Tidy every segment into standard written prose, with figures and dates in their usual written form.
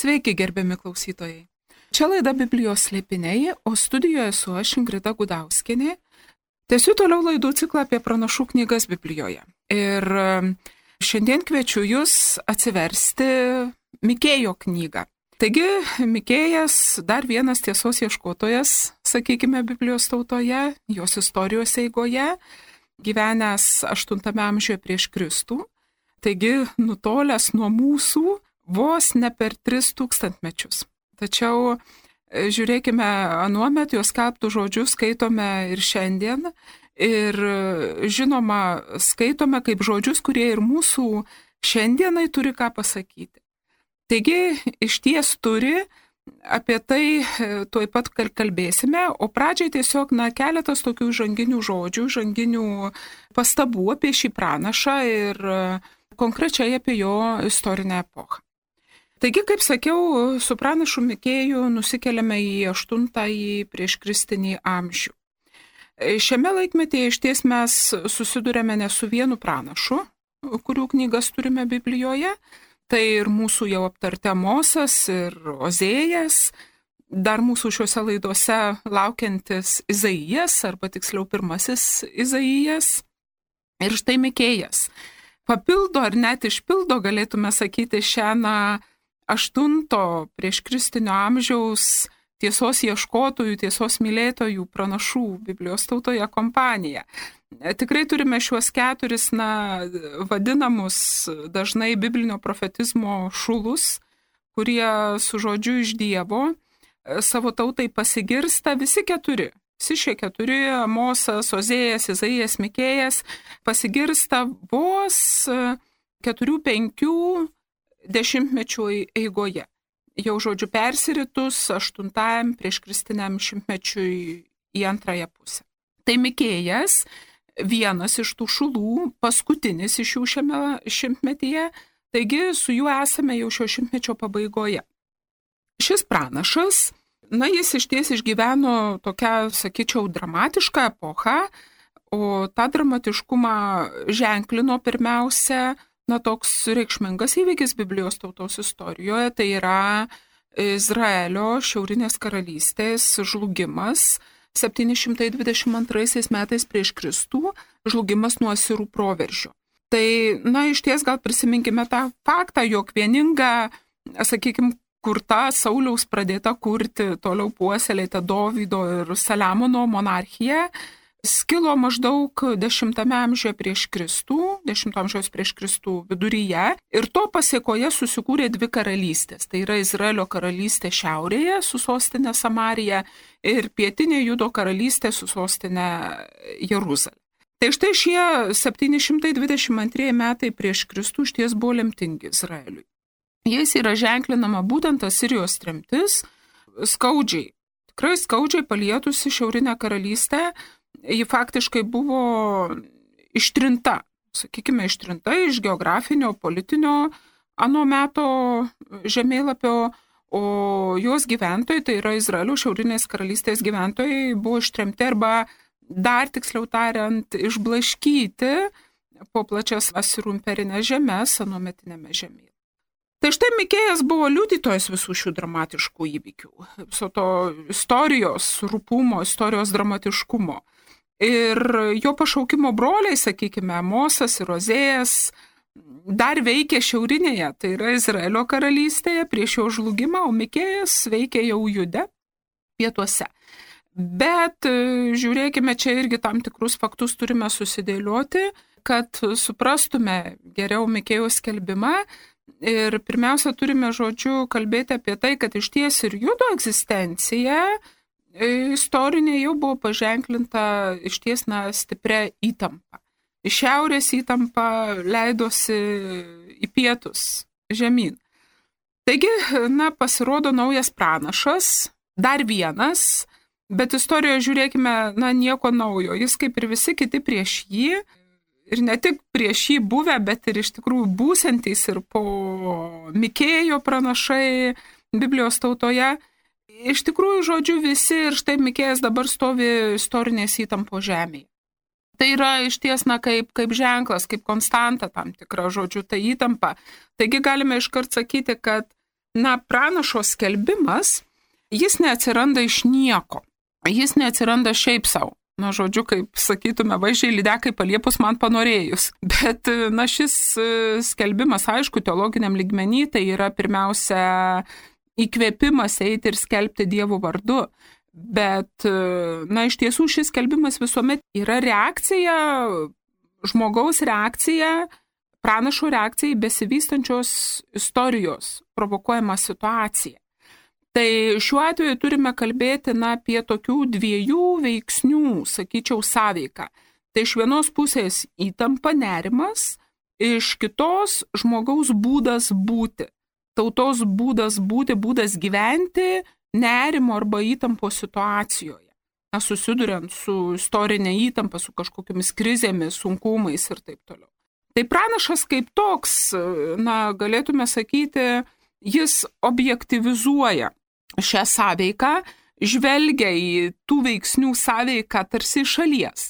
Sveiki, gerbiami klausytojai. Čia laida Biblijos slėpiniai, o studijoje esu aš Ingrida Gudauskienė. Tęsiu toliau laidų ciklą apie pranašų knygas Biblijoje. Ir šiandien kviečiu jūs atsiversti Mikėjo knygą. Taigi, Mikėjas dar vienas tiesos ieškotojas, sakykime, Biblijos tautoje, jos istorijos eigoje, gyvenęs 8 amžiuje prieš Kristų. Taigi, nutolęs nuo mūsų vos ne per 3000 mečius. Tačiau žiūrėkime, anuomet jos skelbtų žodžius skaitome ir šiandien. Ir žinoma, skaitome kaip žodžius, kurie ir mūsų šiandienai turi ką pasakyti. Taigi, iš ties turi, apie tai tuoj pat kalbėsime, o pradžiai tiesiog keletas tokių žanginių žodžių, žanginių pastabų apie šį pranašą ir konkrečiai apie jo istorinę epochą. Taigi, kaip sakiau, su pranašu Mikėju nusikeliame į 8 prieškristinį amžių. Šiame laikmetyje iš ties mes susidurėme ne su vienu pranašu, kurių knygas turime Biblijoje, tai ir mūsų jau aptarti Amosas ir Ozėjas, dar mūsų šiuose laidose laukiantis Izaijas, arba tiksliau pirmasis Izaijas, ir štai Mikėjas. Papildo ar net išpildo, galėtume sakyti, šią 8 prieškristinio amžiaus tiesos ieškotojų, tiesos mylėtojų pranašų Biblijos tautoje kompaniją. Tikrai turime šiuos 4 vadinamus dažnai biblinio profetizmo šulus, kurie su žodžiu iš Dievo savo tautai pasigirsta, visi 4. Visi šie 4, Amosas, Ozėjas, Izaijas, Mikėjas, pasigirsta vos 4-5 dešimtmečių eigoje. Jau žodžiu persiritus 8 prieškristiniam šimtmečiui į antrąją pusę. Tai Mikėjas, vienas iš tų šulų, paskutinis iš jų šiame šimtmetyje, taigi su juo esame jau šio šimtmečio pabaigoje. Šis pranašas, jis iš ties išgyveno tokią, sakyčiau, dramatišką epochą, o tą dramatiškumą ženklino pirmiausia toks reikšmingas įvykis Biblijos tautos istorijoje, tai yra Izraelio šiaurinės karalystės žlugimas 722 metais prieš Kristų, žlugimas nuo asirų proveržio. Tai, iš ties gal prisiminkime tą faktą, jog vieninga, sakykime, kurta Sauliaus pradėta kurti, toliau puoselėta Dovydo ir Saliamono monarchija, skilo maždaug 10 amžiuje prieš Kristų, 10 amžiaus prieš Kristų viduryje, ir to pasiekoje susikūrė 2 karalystės. Tai yra Izraelio karalystė šiaurėje su sostinė Samarija ir pietinė Judo karalystė su sostinė Jeruzalė. Tai štai šie 722 metai prieš Kristų šties buvo lemtingi Izraeliui. Jais yra ženklinama būtent Asirijos tremtis, tikrai skaudžiai palietusi šiaurinę karalystę. Ji faktiškai buvo ištrinta iš geografinio, politinio ano meto žemėlapio, o jos gyventojai, tai yra Izraelio šiaurinės karalystės gyventojai, buvo ištremti arba, dar tiksliau tariant, išblaškyti po plačias Asirų imperinės žemės anuometinėme žemėlapyje. Tai štai Mikėjas buvo liudytojas visų šių dramatiškų įvykių, viso to istorijos rupumo, istorijos dramatiškumo. Ir jo pašaukimo broliai, sakykime, Amosas ir Ozėjas, dar veikė šiaurinėje, tai yra Izraelio karalystėje prieš jo žlugimą, o Mikėjas veikė jau Jude, pietuose. Bet žiūrėkime, čia irgi tam tikrus faktus turime susidėlioti, kad suprastume geriau Mikėjaus skelbimą. Ir pirmiausia, turime žodžiu kalbėti apie tai, kad iš ties ir Judo egzistencija istorinė jau buvo paženklinta iš ties stipria įtampa. Iš šiaurės įtampa leidosi į pietus, žemyn. Taigi, pasirodo naujas pranašas, dar vienas, bet istorijoje žiūrėkime, nieko naujo. Jis kaip ir visi kiti prieš jį, ir ne tik prieš jį buvę, bet ir iš tikrųjų būsiantys ir po Mikėjo pranašai Biblijos tautoje. Iš tikrųjų, žodžiu, visi ir štai Mikėjas dabar stovi istorinės įtampos žemėje. Tai yra iš ties kaip ženklas, kaip konstanta tam tikra, žodžiu, ta įtampa. Taigi galime iškart sakyti, kad pranašo skelbimas, jis neatsiranda iš nieko. Jis neatsiranda šiaip savo. Žodžiu, kaip sakytume, vaizdžiai lydekai paliepus man panorėjus. Bet, šis skelbimas, aišku, teologiniam lygmenį, tai yra pirmiausia įkvėpimas eiti ir skelbti Dievo vardu. Bet, iš tiesų šis skelbimas visuomet yra reakcija, žmogaus reakcija, pranašo reakcija į besivystančios istorijos provokuojamą situaciją. Tai šiuo atveju turime kalbėti apie tokių dviejų veiksnių, sakyčiau, sąveiką. Tai iš vienos pusės įtampa, nerimas, iš kitos žmogaus būdas būti. Tautos būdas būti, būdas gyventi nerimo arba įtampos situacijoje. Susiduriant su istorinė įtampa, su kažkokiamis krizėmis, sunkumais ir taip toliau. Tai pranašas kaip toks, galėtume sakyti, jis objektyvizuoja šią sąveiką, žvelgia į tų veiksnių sąveiką tarsi iš šalies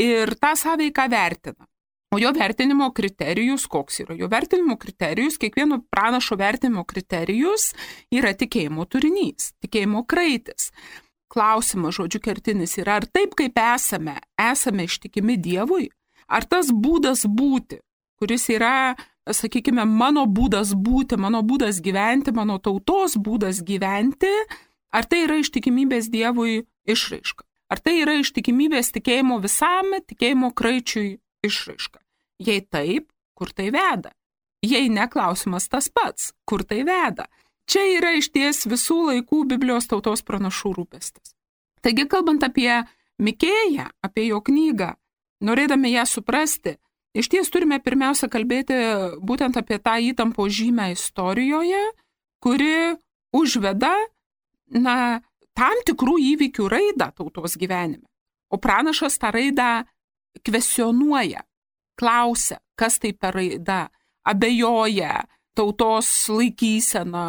ir tą sąveiką vertina. O jo vertinimo kriterijus, koks yra jo vertinimo kriterijus, kiekvieno pranašo vertinimo kriterijus yra tikėjimo turinys, tikėjimo kraitis. Klausimas, žodžiu, kertinis yra, ar taip kaip esame ištikimi Dievui, ar tas būdas būti, kuris yra, sakykime, mano būdas būti, mano būdas gyventi, mano tautos būdas gyventi, ar tai yra ištikimybės Dievui išraiška? Ar tai yra ištikimybės tikėjimo visam, tikėjimo kraičiui išraiška? Jei taip, kur tai veda? Jei ne, klausimas tas pats, kur tai veda? Čia yra išties visų laikų Biblijos tautos pranašų rūpestis. Taigi, kalbant apie Mikėją, apie jo knygą, norėdami ją suprasti, iš ties turime pirmiausia kalbėti būtent apie tą įtampos žymę istorijoje, kuri užveda tam tikrų įvykių raidą tautos gyvenime. O pranašas tą raidą kvestionuoja, klausia, kas tai per raida, abejoja tautos laikysena,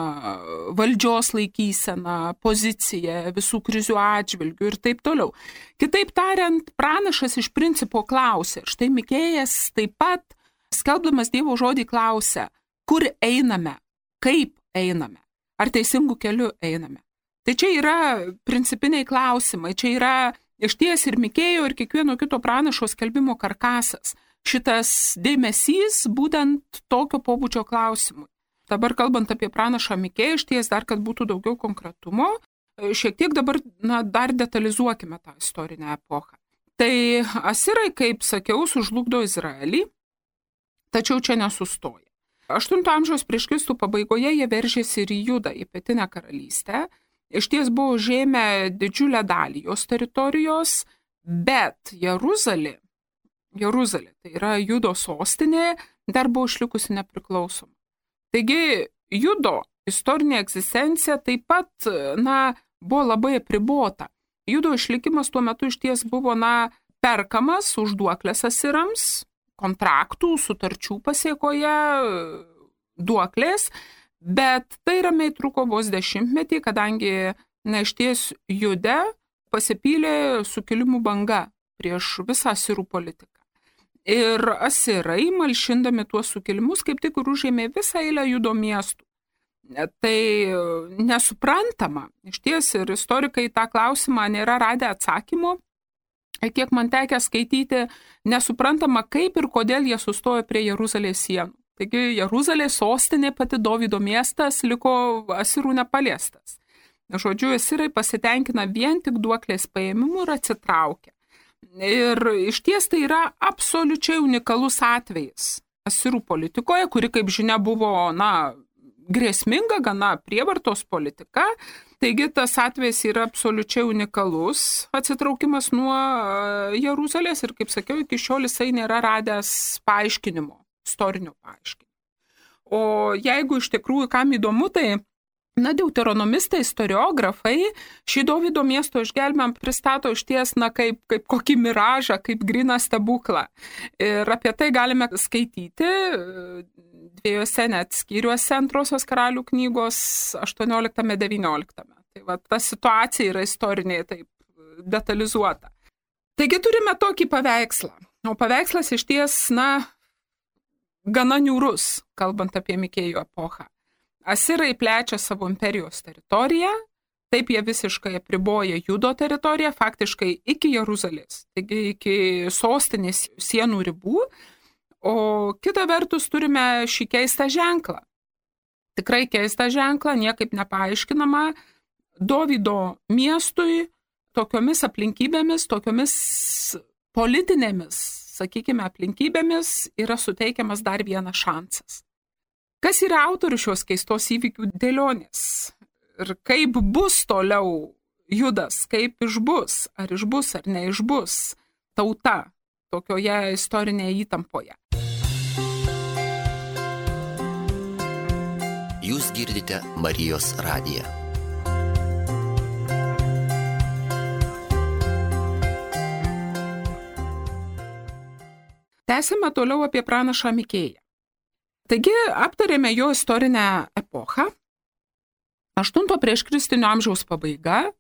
valdžios laikysena, pozicija, visų krizių atžvilgių ir taip toliau. Kitaip tariant, pranašas iš principo klausia. Štai Mikėjas taip pat, skelbdamas Dievo žodį, klausia, kur einame, kaip einame, ar teisingų kelių einame. Tai čia yra principiniai klausimai, čia yra išties ir Mikėjo, ir kiekvieno kito pranašo skelbimo karkasas. Šitas dėmesys būtent tokio pobūdžio klausimui. Dabar kalbant apie pranašą Mikėją, išties dar, kad būtų daugiau konkretumo, šiek tiek dabar dar detalizuokime tą istorinę epochą. Tai asirai, kaip sakiau, sužlugdo Izraelį, tačiau čia nesustoja. 8 amžiaus prieš Kristų pabaigoje jie veržėsi ir į Judą, į pietinę karalystę. Išties buvo užėmę didžiulę dalį jos teritorijos, bet Jeruzalė, tai yra Judo sostinė, dar buvo išlikusi nepriklausoma. Taigi, Judo istorinė egzistencija taip pat, buvo labai apribota. Judo išlikimas tuo metu išties buvo, perkamas už duoklės asirams, kontraktų, sutarčių pasiekoje, duoklės, bet tai ramiai truko vos 10-metį, kadangi, išties Jude pasipylė sukilimų banga prieš visą asirų politiką. Ir asirai, malšindami tuos sukilimus, kaip tik ir užėmė visą eilę Judo miestų. Tai nesuprantama, išties ir istorikai tą klausimą nėra radę atsakymo, kiek man tekę skaityti, nesuprantama, kaip ir kodėl jie sustojo prie Jeruzalės sienų. Taigi Jeruzalės sostinė, pati Dovydo miestas, liko asirų nepaliestas. Žodžiu, asirai pasitenkina vien tik duoklės paėmimu ir atsitraukia. Ir išties tai yra absoliučiai unikalus atvejis asirų politikoje, kuri, kaip žinia, buvo, grėsminga, gana prievartos politika. Taigi tas atvejis yra absoliučiai unikalus atsitraukimas nuo Jeruzalės ir, kaip sakiau, iki šiol jisai nėra radęs paaiškinimo, istorinio paaiškinimo. O jeigu iš tikrųjų kam įdomu, tai deuteronomistai, istoriografai šį Dovydo miesto išgelbėjimą pristato išties kaip kokį miražą, kaip gryną stebuklą. Ir apie tai galime skaityti dviejose net skyriuose Antrosios karalių knygos 18-19. Tai ta situacija yra istorinė taip detalizuota. Taigi turime tokį paveikslą. O paveikslas išties, gana niūrus, kalbant apie Mikėjų epochą. Asirai plečia savo imperijos teritoriją, taip jie visiškai apriboja Judo teritoriją, faktiškai iki Jeruzalės, taigi iki sostinės sienų ribų, o kita vertus turime šį keistą ženklą. Tikrai keistą ženklą, niekaip nepaaiškinama, Dovydo miestui tokiomis aplinkybėmis, tokiomis politinėmis, sakykime, aplinkybėmis yra suteikiamas dar vienas šansas. Kas yra autorius šios keistos įvykių dėlionės? Ir kaip bus toliau Judas, kaip išbus, ar neišbus tauta tokioje istorinėje įtampoje. Jūs girdite Marijos radiją. Tęsime toliau apie pranašą Mikėją. Taigi aptarėme jo istorinę epochą. 8 prieš Kristinio amžiaus pabaiga,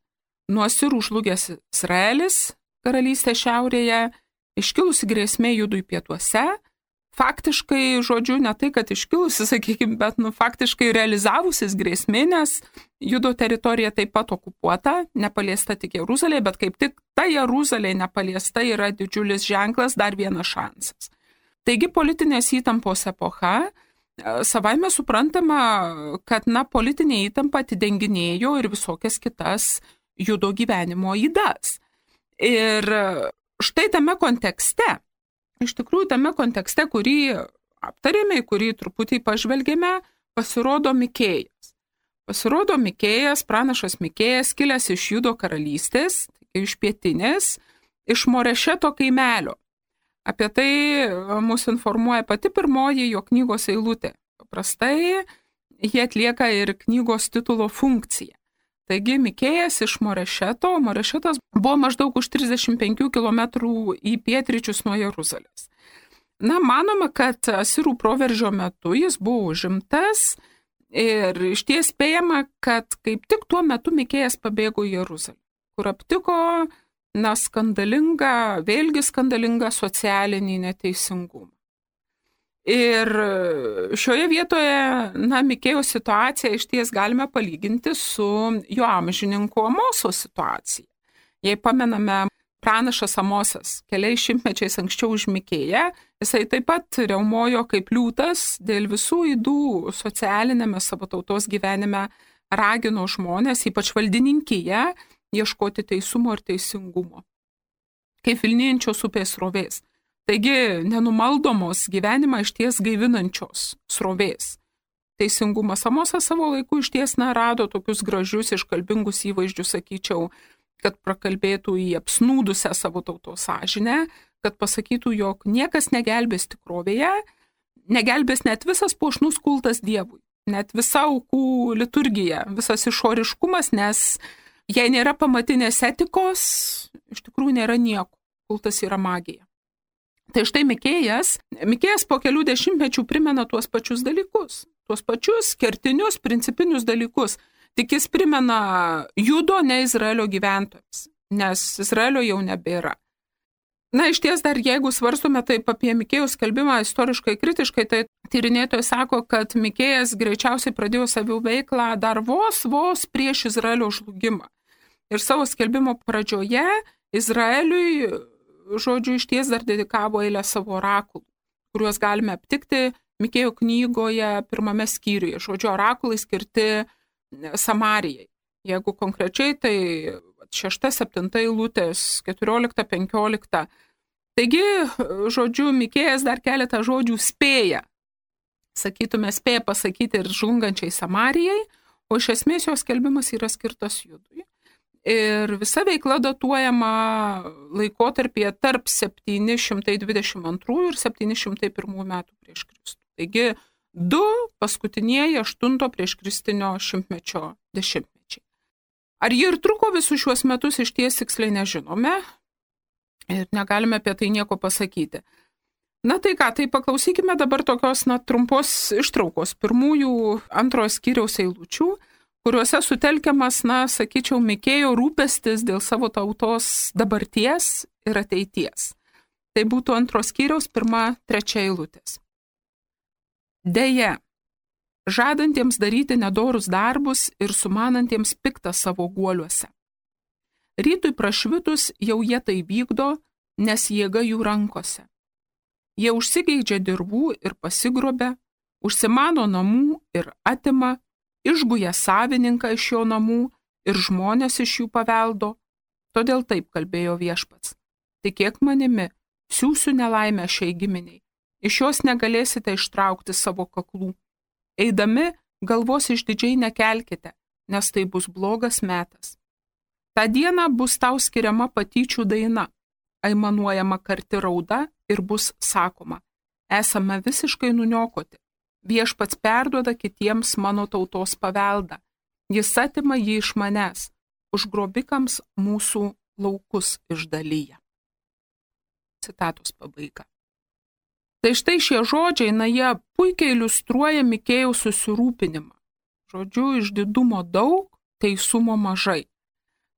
nuo Asirų žlugęs Izraelis, karalystė šiaurėje, iškilusi grėsmė Judui pietuose, faktiškai, žodžiu, ne tai, kad iškilusi, sakykime, bet faktiškai realizavusis grėsmė, nes Judo teritorija taip pat okupuota, nepaliesta tik Jeruzalė, bet kaip tik ta Jeruzalė nepaliesta yra didžiulis ženklas, dar vienas šansas. Taigi politinės įtampos epocha, savaime suprantama, kad politinė įtampa atidenginėjo ir visokias kitas Judo gyvenimo ydas. Ir štai tame kontekste, iš tikrųjų tame kontekste, kurį aptarėme, kurį truputį pažvelgėme, pasirodo Mikėjas. Pasirodo Mikėjas, pranašas Mikėjas, kilęs iš Judo karalystės, iš pietinės, iš Morešeto kaimelio. Apie tai mus informuoja pati pirmoji jo knygos eilutė. Paprastai jie atlieka ir knygos titulo funkciją. Taigi Mikėjas iš Morešeto, Morešetas buvo maždaug už 35 km į pietryčius nuo Jeruzalės. Manoma, kad Asirų proveržio metu jis buvo užimtas ir išties spėjama, kad kaip tik tuo metu Mikėjas pabėgo į Jeruzalę, kur aptiko vėlgi skandalingą socialinį neteisingumą. Ir šioje vietoje, Mikėjo situaciją išties galime palyginti su jo amžininko Amoso situacija. Jei pamename, pranašas Amosas keliais šimtmečiais anksčiau už Mikėją, jisai taip pat riaumojo kaip liūtas dėl visų ydų socialinėme savo tautos gyvenime, ragino žmonės, ypač valdininkiją, ieškoti teisumo ir teisingumo, kaip vilnijančios upės srovės. Taigi nenumaldomos gyvenimą išties gaivinančios srovės. Teisingumas. Amosas savo laiku išties rado tokius gražius, iškalbingus įvaizdžius, sakyčiau, kad prakalbėtų į apsnūdusią savo tautos sąžinę, kad pasakytų, jog niekas negelbės tikrovėje, negelbės net visas puošnus kultas Dievui, net visa aukų liturgija, visas išoriškumas, nes jei nėra pamatinės etikos, iš tikrųjų nėra nieko, kultas yra magija. Tai štai Mikėjas po kelių dešimtmečių primena tuos pačius dalykus, tuos pačius kertinius, principinius dalykus, tik jis primena Judo, ne Izraelio gyventojams, nes Izraelio jau nebėra. Išties dar jeigu svarstome taip apie Mikėjaus skelbimą istoriškai kritiškai, tai tyrinėtojai sako, kad Mikėjas greičiausiai pradėjo savo veiklą dar vos prieš Izraelio žlugimą. Ir savo skelbimo pradžioje Izraeliui, žodžiu, išties dar dedikavo eilę savo orakulų, kuriuos galime aptikti Mikėjo knygoje 1 skyriuje. Žodžiu, orakulai skirti Samarijai. Jeigu konkrečiai, tai 6-7 eilutės, 14-15. Taigi, žodžiu, Mikėjas dar keletą žodžių spėja pasakyti ir žlungančiai Samarijai, o iš esmės jos skelbimas yra skirtas Judui. Ir visa veikla datuojama laikotarpyje tarp 722 ir 701 metų prieš Kristų. Taigi 2 paskutinieji 8 prieš Kristinio šimtmečio dešimtmečiai. Ar jie ir truko visus šiuos metus, išties tiksliai nežinome ir negalime apie tai nieko pasakyti. Tai paklausykime dabar tokios trumpos ištraukos pirmųjų 2 skyriaus eilučių, kuriuose sutelkiamas, sakyčiau, Mikėjo rūpestis dėl savo tautos dabarties ir ateities. Tai būtų 2 skyriaus 1-3 eilutės. Deja, žadantiems daryti nedorus darbus ir sumanantiems piktą savo guoliuose. Rytui prašvitus jau jie tai vykdo, nes jėga jų rankose. Jie užsigeidžia dirvų ir pasigrobia, užsimano namų ir atima, išguja savininką iš jo namų ir žmonės iš jų paveldo. Todėl taip kalbėjo Viešpats. Tikėk manimi, siųsiu nelaimę šiai giminiai. Iš jos negalėsite ištraukti savo kaklų. Eidami, galvos išdidžiai nekelkite, nes tai bus blogas metas. Ta diena bus tau skiriama patyčių daina, aimanuojama karti rauda ir bus sakoma: esame visiškai nuniokoti. Viešpats perduoda kitiems mano tautos paveldą. Jis atima jį iš manęs, užgrobikams mūsų laukus išdalyja. Citatos pabaiga. Tai štai šie žodžiai, jie puikiai iliustruoja Mikėjaus susirūpinimą. Žodžiu, išdidumo daug, teisumo mažai.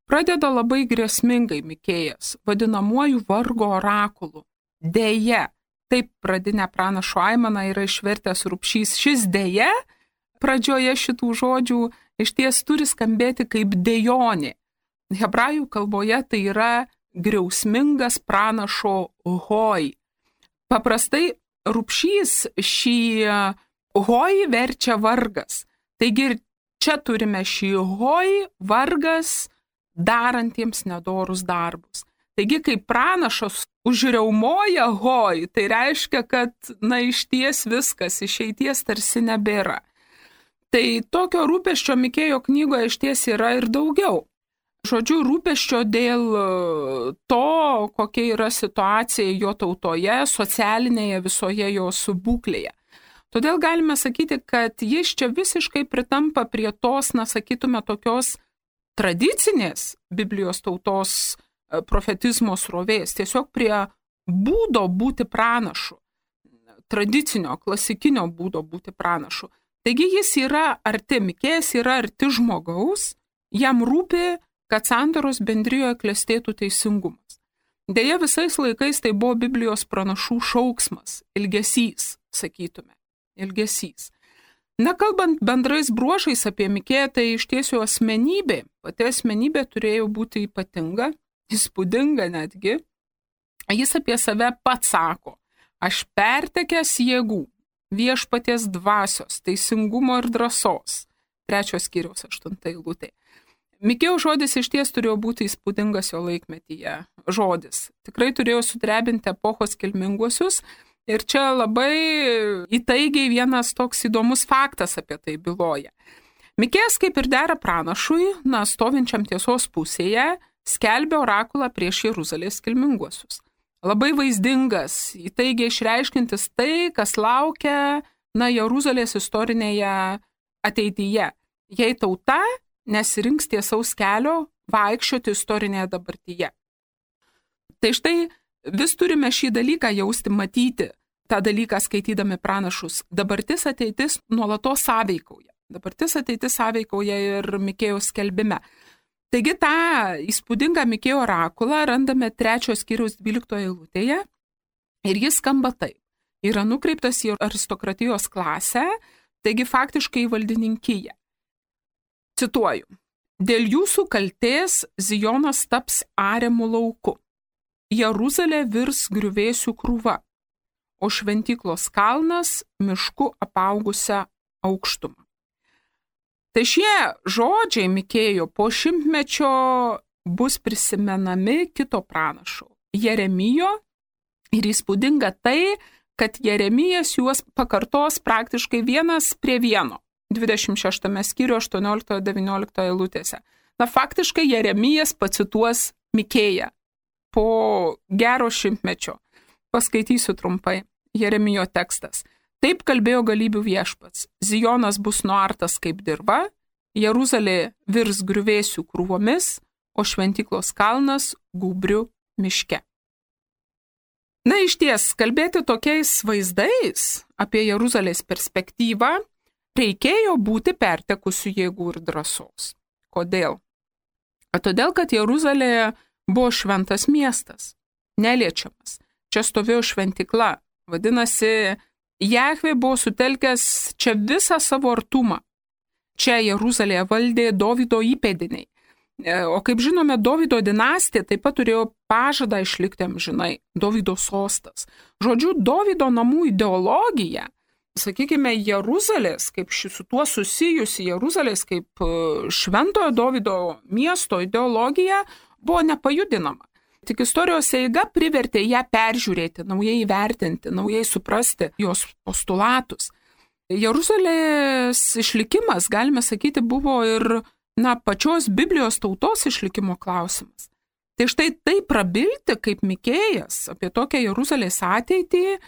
Pradeda labai grėsmingai Mikėjas, vadinamuoju vargo orakulu. Deja, taip pradinę pranašo aimaną yra išvertęs Rupšys. Šis deja, pradžioje šitų žodžių, iš ties turi skambėti kaip dejonė. Hebrajų kalboje tai yra griausmingas pranašo hoj. Paprastai Rupšys šį hoj verčia vargas. Taigi ir čia turime šį hoj, vargas darantiems nedorus darbus. Taigi, kai pranašas užriaumoja hoj, tai reiškia, kad išties viskas, išeities tarsi nebėra. Tai tokio rūpesčio Mikėjo knygoje išties yra ir daugiau. Žodžiu, rūpesčio dėl to, kokia yra situacija jo tautoje, socialinėje visoje jos būklėje. Todėl galime sakyti, kad jis čia visiškai pritampa prie tos, sakytume, tokios tradicinės Biblijos tautos profetizmo srovės, tiesiog prie būdo būti pranašu, tradicinio, klasikinio būdo būti pranašu. Taigi jis yra arti, Mikėjas yra arti žmogaus, jam rūpi, kad sandoros bendrijoje klestėtų teisingumas. Deja, visais laikais tai buvo Biblijos pranašų šauksmas, ilgesys, sakytume, ilgesys. Kalbant bendrais bruožais apie Mikėją, tai iš tiesų asmenybė, pati asmenybė turėjo būti ypatinga, įspūdinga netgi. Jis apie save pats sako: aš pertekęs jėgų, viešpaties dvasios, teisingumo ir drąsos. 3 skyriaus 8 eilutė. Mikėjaus žodis iš ties turėjo būti įspūdingas jo laikmetyje žodis. Tikrai turėjo sudrebinti epochos kilminguosius. Ir čia labai įtaigiai vienas toks įdomus faktas apie tai byloja. Mikėjas, kaip ir dera pranašui, stovinčiam tiesos pusėje, skelbė orakulą prieš Jeruzalės kilminguosius. Labai vaizdingas, įtaigiai išreiškintis tai, kas laukia Jeruzalės istorinėje ateityje. Jei tauta nesirinks tiesaus kelio vaikščioti istorinėje dabartyje. Tai štai vis turime šį dalyką jausti, matyti, tą dalyką skaitydami pranašus. Dabartis ateitis nuolatos sąveikauja. Dabartis ateitis sąveikauja ir Mikėjaus skelbime. Taigi tą įspūdingą Mikėjo orakulą randame 3 skyriaus 12 eilutėje ir jis skamba taip. Yra nukreiptas į aristokratijos klasę, taigi faktiškai į valdininkiją. Cituoju: dėl jūsų kaltės Zijonas taps ariamų lauku. Jeruzalė virs griuvėsių krūva, o šventyklos kalnas mišku apaugusią aukštumą. Tai šie žodžiai Mikėjo po 100-mečio bus prisimenami kito pranašo, Jeremijo, ir įspūdinga tai, kad Jeremijas juos pakartos praktiškai vienas prie vieno, 26 skyrių 18-19 eilutėse. Faktiškai Jeremijas pacituos Mikėją po gero 100-mečio. Paskaitysiu trumpai. Jeremijo tekstas. Taip kalbėjo galybių viešpats. Zijonas bus nuartas kaip dirva, Jeruzalė virs griuvėsių krūvomis, o šventyklos kalnas gūbriu miške. Iš ties, kalbėti tokiais vaizdais apie Jeruzalės perspektyvą reikėjo būti pertekusių jėgų ir drąsos. Kodėl? Todėl, kad Jeruzalė buvo šventas miestas, neliečiamas. Čia stovėjo šventykla. Vadinasi, Jahvė buvo sutelkęs čia visą savo artumą. Čia Jeruzalėje valdė Dovydo įpėdiniai. O kaip žinome, Dovydo dinastija taip pat turėjo pažadą išlikti amžinai, Dovydo sostas. Žodžiu, Dovydo namų ideologija, sakykime, Jeruzalės, kaip su tuo susijusi Jeruzalės kaip šventojo Dovydo miesto ideologija buvo nepajudinama. Tik istorijos eiga privertė ją peržiūrėti, naujai įvertinti, naujai suprasti jos postulatus. Jeruzalės išlikimas, galime sakyti, buvo ir pačios Biblijos tautos išlikimo klausimas. Tai štai tai prabilti kaip Mikėjas apie tokią Jeruzalės ateitį,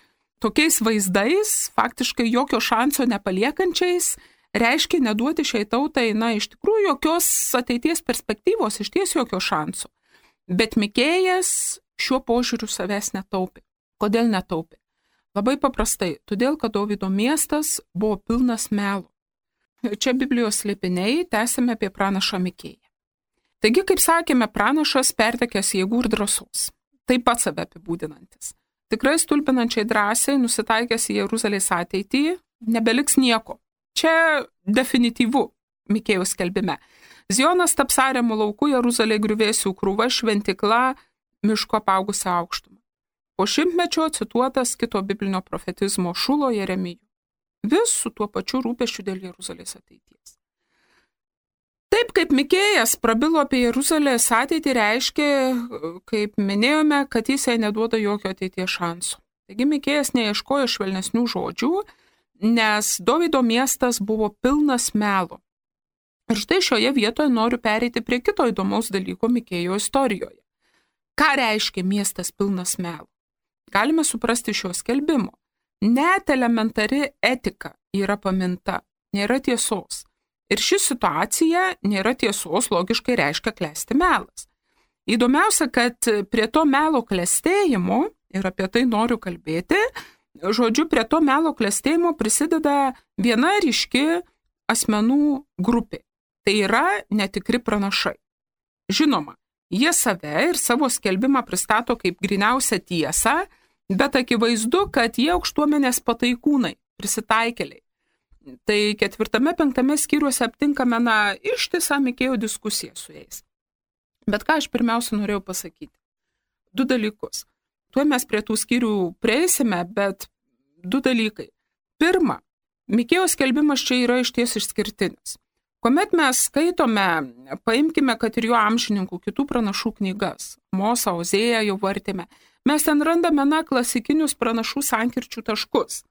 tokiais vaizdais, faktiškai jokio šanso nepaliekančiais, reiškia neduoti šiai tautai, iš tikrųjų jokios ateities perspektyvos, išties jokio šanso. Bet Mikėjas šiuo požiūriu savęs netaupė. Kodėl netaupė? Labai paprastai, todėl, kad Dovydo miestas buvo pilnas melo. Čia Biblijos slėpiniai, tęsime apie pranašą Mikėją. Taigi, kaip sakėme, pranašas pertekęs jėgų ir drąsos. Taip pat save apibūdinantis. Tikrai stulbinančiai drąsiai nusitaikęs į Jeruzalės ateitį, nebeliks nieko. Čia definityvu Mikėjaus skelbime. Zionas taps ariamų laukų, Jeruzalė griuvėsių krūva, šventikla, miško apaugusią aukštumą. Po 100 cituotas kito biblinio profetizmo Šulo Jeremijų. Vis su tuo pačiu rūpesčiu dėl Jeruzalės ateities. Taip kaip Mikėjas prabilo apie Jeruzalės ateitį, reiškia, kaip minėjome, kad jis jai neduoda jokio ateities šansų. Taigi Mikėjas neieškojo švelnesnių žodžių, nes Dovydo miestas buvo pilnas melo. Ir štai šioje vietoje noriu pereiti prie kito įdomaus dalyko Mikėjo istorijoje. Ką reiškia miestas pilnas melo? Galime suprasti šio skelbimo. Net elementari etika yra paminta, nėra tiesos. Ir ši situacija nėra tiesos, logiškai reiškia klesti melas. Įdomiausia, kad prie to melo klestėjimo, ir apie tai noriu kalbėti, žodžiu, prie to melo klestėjimo prisideda viena ryški asmenų grupė. Tai yra netikri pranašai. Žinoma, jie save ir savo skelbimą pristato kaip gryniausią tiesą, bet akivaizdu, kad jie aukštuomenės pataikūnai, prisitaikėliai. Tai 4-5 skyriuose aptinkame ištisą Mikėjo diskusiją su jais. Bet ką aš pirmiausia norėjau pasakyti? 2 dalykus. Tuo mes prie tų skyrių prieisime, bet 2 dalykai. Pirma, Mikėjos skelbimas čia yra išties išskirtinis. Kuomet mes skaitome, paimkime, kad ir jo amžininkų kitų pranašų knygas, Mosą, Ozėją jau vartėme, mes ten randame klasikinius pranašų sankirčių taškus.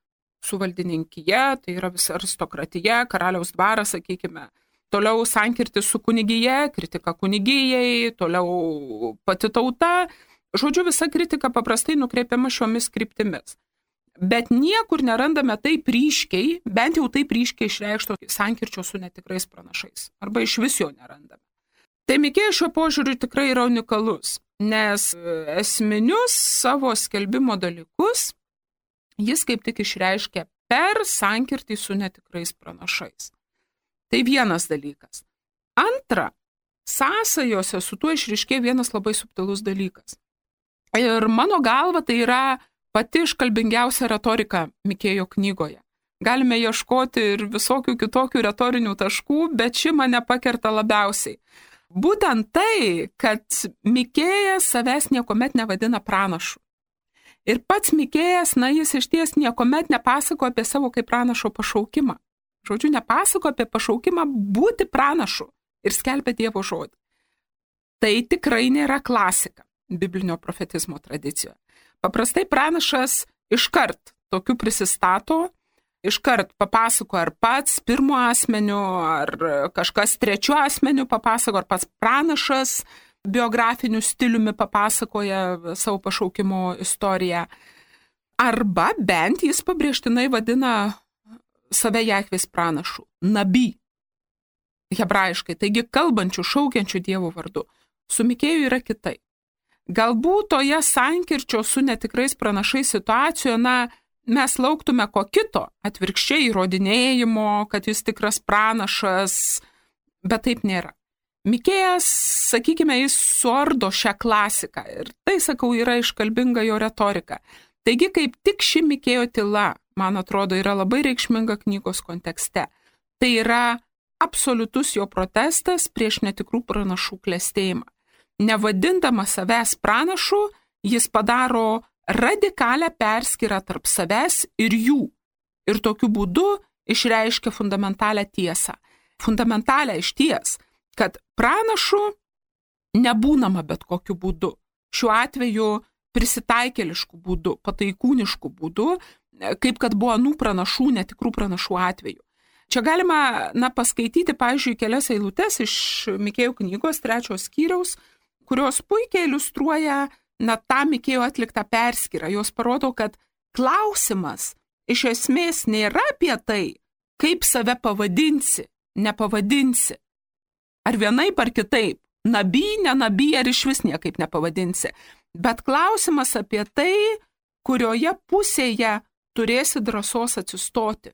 Su valdininkyje, tai yra visa aristokratija, karaliaus dvaras, sakykime, toliau sankirtis su kunigija, kritika kunigijai, toliau pati tauta. Žodžiu, visa kritika paprastai nukreipiama šiomis kryptimis. Bet niekur nerandame taip ryškiai, bent jau taip ryškiai išreikšto sankirčio su netikrais pranašais. Arba iš vis jo nerandame. Tai Mikėjas šiuo požiūriu tikrai yra unikalus, nes esminius savo skelbimo dalykus jis kaip tik išreiškia per sankirtį su netikrais pranašais. Tai vienas dalykas. Antra, sąsajose su tuo išryškėja vienas labai subtilus dalykas. Ir mano galva tai yra pati iškalbingiausia retorika Mikėjo knygoje. Galime ieškoti ir visokių kitokių retorinių taškų, bet ši mane pakerta labiausiai. Būtent tai, kad Mikėjas savęs niekuomet nevadina pranašu. Ir pats Mikėjas, jis išties niekuomet nepasako apie savo kaip pranašo pašaukimą. Žodžiu, nepasako apie pašaukimą būti pranašu ir skelbia Dievo žodį. Tai tikrai nėra klasika biblinio profetizmo tradicijoje. Paprastai pranašas iškart tokiu prisistato, iškart papasako ar pats pirmu asmeniu, ar kažkas trečiu asmeniu papasako, ar pats pranašas biografiniu stiliumi papasakoja savo pašaukimo istoriją. Arba bent jis pabrėžtinai vadina save Jahvės pranašu, nabi, hebrajiškai, taigi kalbančių, šaukiančių Dievo vardu. Su Mikėju yra kitai. Galbūt toje sankirčio su netikrais pranašais situacijoje, mes lauktume ko kito, atvirkščiai įrodinėjimo, kad jis tikras pranašas, bet taip nėra. Mikėjas, sakykime, jis suardo šią klasiką ir tai, sakau, yra iškalbinga jo retorika. Taigi, kaip tik ši Mikėjo tyla man atrodo, yra labai reikšminga knygos kontekste. Tai yra absoliutus jo protestas prieš netikrų pranašų klestėjimą. Nevadindamas savęs pranašu, jis padaro radikalią perskyrą tarp savęs ir jų. Ir tokiu būdu išreiškia fundamentalią tiesą. Fundamentalią išties, kad pranašu nebūnama bet kokiu būdu. Šiuo atveju prisitaikėliškų būdų, pataikūniškų būdų, kaip kad buvo anų pranašų, netikrų pranašų atveju. Čia galima paskaityti, pavyzdžiui, kelias eilutes iš Mikėjų knygos 3 skyriaus, kurios puikiai iliustruoja tą Mikėjo atliktą perskyrą. Jos parodo, kad klausimas iš esmės nėra apie tai, kaip save pavadinsi, nepavadinsi. Ar vienaip ar kitaip, naby, nenaby, ar iš vis niekaip nepavadinsi. Bet klausimas apie tai, kurioje pusėje turėsi drąsos atsistoti.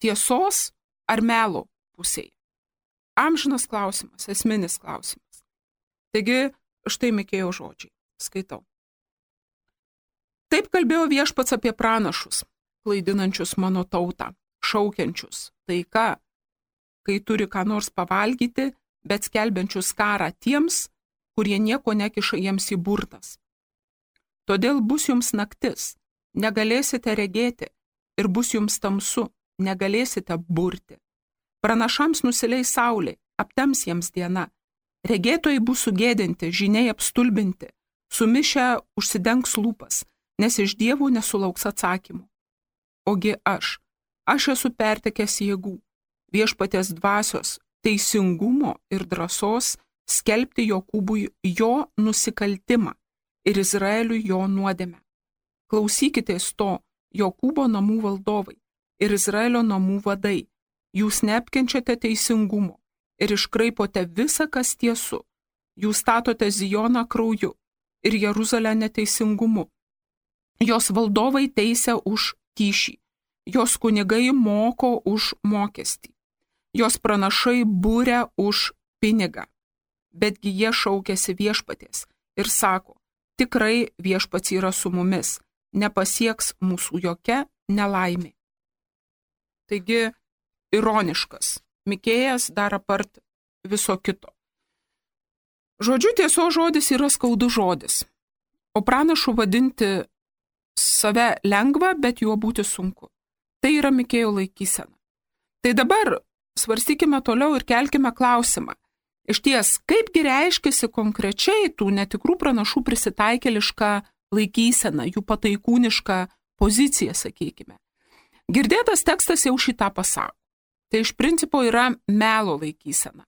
Tiesos ar melo pusėje. Amžinas klausimas, esminis klausimas. Taigi, štai Mikėjo žodžiai. Skaitau. Taip kalbėjo viešpats apie pranašus, klaidinančius mano tautą, šaukiančius taika, kai turi ką nors pavalgyti, bet skelbiančius karą tiems, kurie nieko nekiša jiems į burtas. Todėl bus jums naktis, negalėsite regėti, ir bus jums tamsu, negalėsite burti. Pranašams nusileis saulė, aptems jiems diena. Regėtojai bus sugėdinti, žiniai apstulbinti, sumišę užsidengs lūpas, nes iš dievų nesulauks atsakymų. Ogi aš esu pertekęs jėgų, viešpaties dvasios, teisingumo ir drąsos skelbti Jokūbui jo nusikaltimą ir Izraeliui jo nuodėmę. Klausykitės to, Jokūbo namų valdovai ir Izraelio namų vadai, jūs neapkenčiate teisingumo ir iškraipote visą, kas tiesu. Jūs statote Zijoną krauju ir Jeruzalę neteisingumu. Jos valdovai teisia už kyšį, jos kunigai moko už mokestį, jos pranašai būria už pinigą. Betgi jie šaukėsi viešpaties ir sako, tikrai viešpats yra su mumis, nepasieks mūsų jokia nelaimė. Taigi, ironiškas. Mikėjas dar apart viso kito. Žodžiu, tiesos žodis yra skaudus žodis, o pranašu vadinti save lengva, bet juo būti sunku. Tai yra Mikėjo laikysena. Tai dabar svarstykime toliau ir kelkime klausimą. Išties, kaipgi reiškiasi konkrečiai tų netikrų pranašų prisitaikėlišką laikyseną, jų pataikūnišką poziciją, sakykime. Girdėtas tekstas jau šitą pasako. Tai iš principo yra melo laikysena,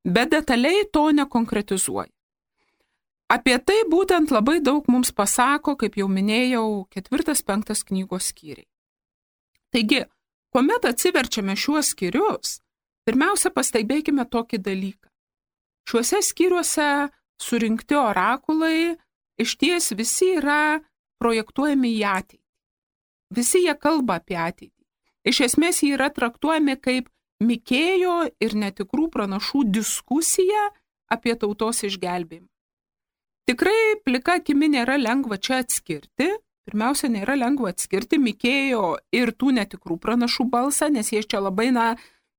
bet detaliai to nekonkretizuoja. Apie tai būtent labai daug mums pasako, kaip jau minėjau, 4-5 knygos skyriai. Taigi, kuomet atsiverčiame šiuos skyrius, pirmiausia pastebėkime tokį dalyką. Šiuose skyriuose surinkti orakulai išties visi yra projektuojami į ateitį. Visi jie kalba apie ateitį. Iš esmės jie yra traktuojami kaip Mikėjo ir netikrų pranašų diskusija apie tautos išgelbėjimą. Tikrai plika akimi nėra lengva čia atskirti. Pirmiausia, nėra lengva atskirti Mikėjo ir tų netikrų pranašų balsą, nes jie čia labai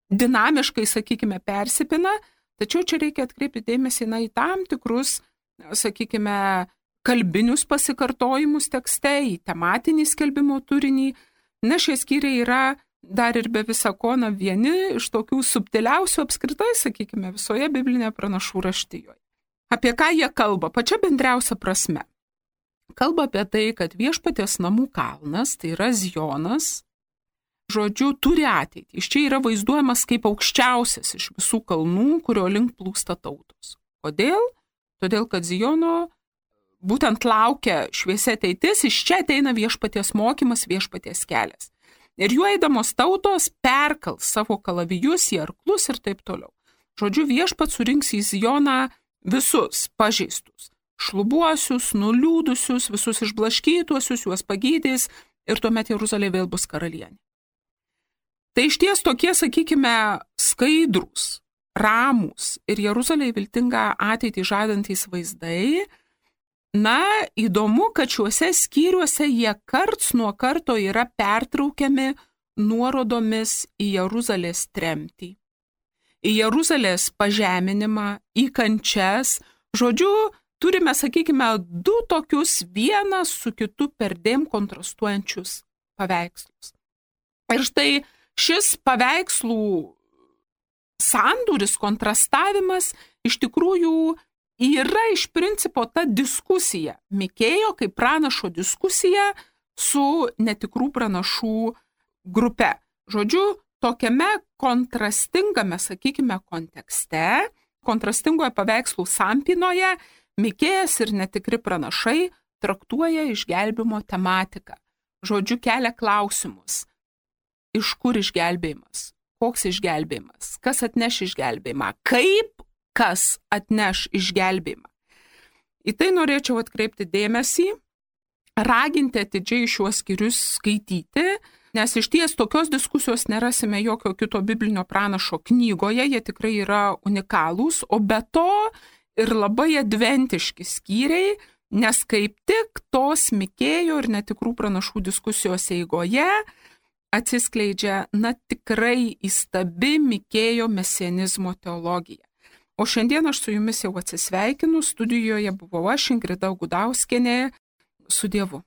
dinamiškai, sakykime, persipina. Tačiau čia reikia atkreipti dėmesį į tam tikrus, sakykime, kalbinius pasikartojimus tekste, į tematinį skelbimo turinį. Šie skyriai yra dar ir be visa ko vieni iš tokių subtiliausių apskritai, sakykime, visoje biblinėje pranašų raštijoje. Apie ką jie kalba? Pačia bendriausia prasme. Kalba apie tai, kad viešpaties namų kalnas, tai yra Zijonas, žodžiu, turi ateitį. Iš čia yra vaizduojamas kaip aukščiausias iš visų kalnų, kurio link plūsta tautos. Kodėl? Todėl, kad Zijono būtent laukia šviesi ateitis, iš čia ateina viešpaties mokymas, viešpaties kelias. Ir juo eidamos tautos perkals savo kalavijus į arklus ir taip toliau. Žodžiu, viešpats surinks į Zijoną visus pažeistus, šlubuosius, nuliūdusius, visus išblaškytuosius, juos pagydys ir tuomet Jeruzalė vėl bus karalienė. Tai išties tokie, sakykime, skaidrūs, ramūs ir Jeruzalė viltingą ateitį žadantys vaizdai Na, įdomu, kad šiuose skyriuose jie karts nuo karto yra pertraukiami nuorodomis į Jeruzalės tremtį, į Jeruzalės pažeminimą, į kančias. Žodžiu, turime, sakykime, du tokius vienas su kitu perdėm kontrastuojančius paveikslus. Ir štai šis paveikslų sandūris, kontrastavimas iš tikrųjų yra iš principo ta diskusija, Mikėjo kaip pranašo diskusija su netikrų pranašų grupe. Žodžiu, tokiame kontrastingame, sakykime, kontekste, kontrastingoje paveikslų sampinoje, Mikėjas ir netikri pranašai traktuoja išgelbimo tematiką. Žodžiu, kelia klausimus. Iš kur išgelbėjimas? Koks išgelbėjimas? Kas atneš išgelbėjimą? Kaip kas atneš išgelbėjimą? Į tai norėčiau atkreipti dėmesį, raginti atidžiai šiuos skyrius skaityti, nes iš ties tokios diskusijos nerasime jokio kito biblinio pranašo knygoje, jie tikrai yra unikalūs, o be to ir labai adventiški skyriai, nes kaip tik tos Mikėjo ir netikrų pranašų diskusijos eigoje atsiskleidžia, tikrai įstabi Mikėjo mesianizmo teologija. O šiandien aš su jumis jau atsisveikinu, studijoje buvau aš, Ingrida Gudauskienė, su Dievu.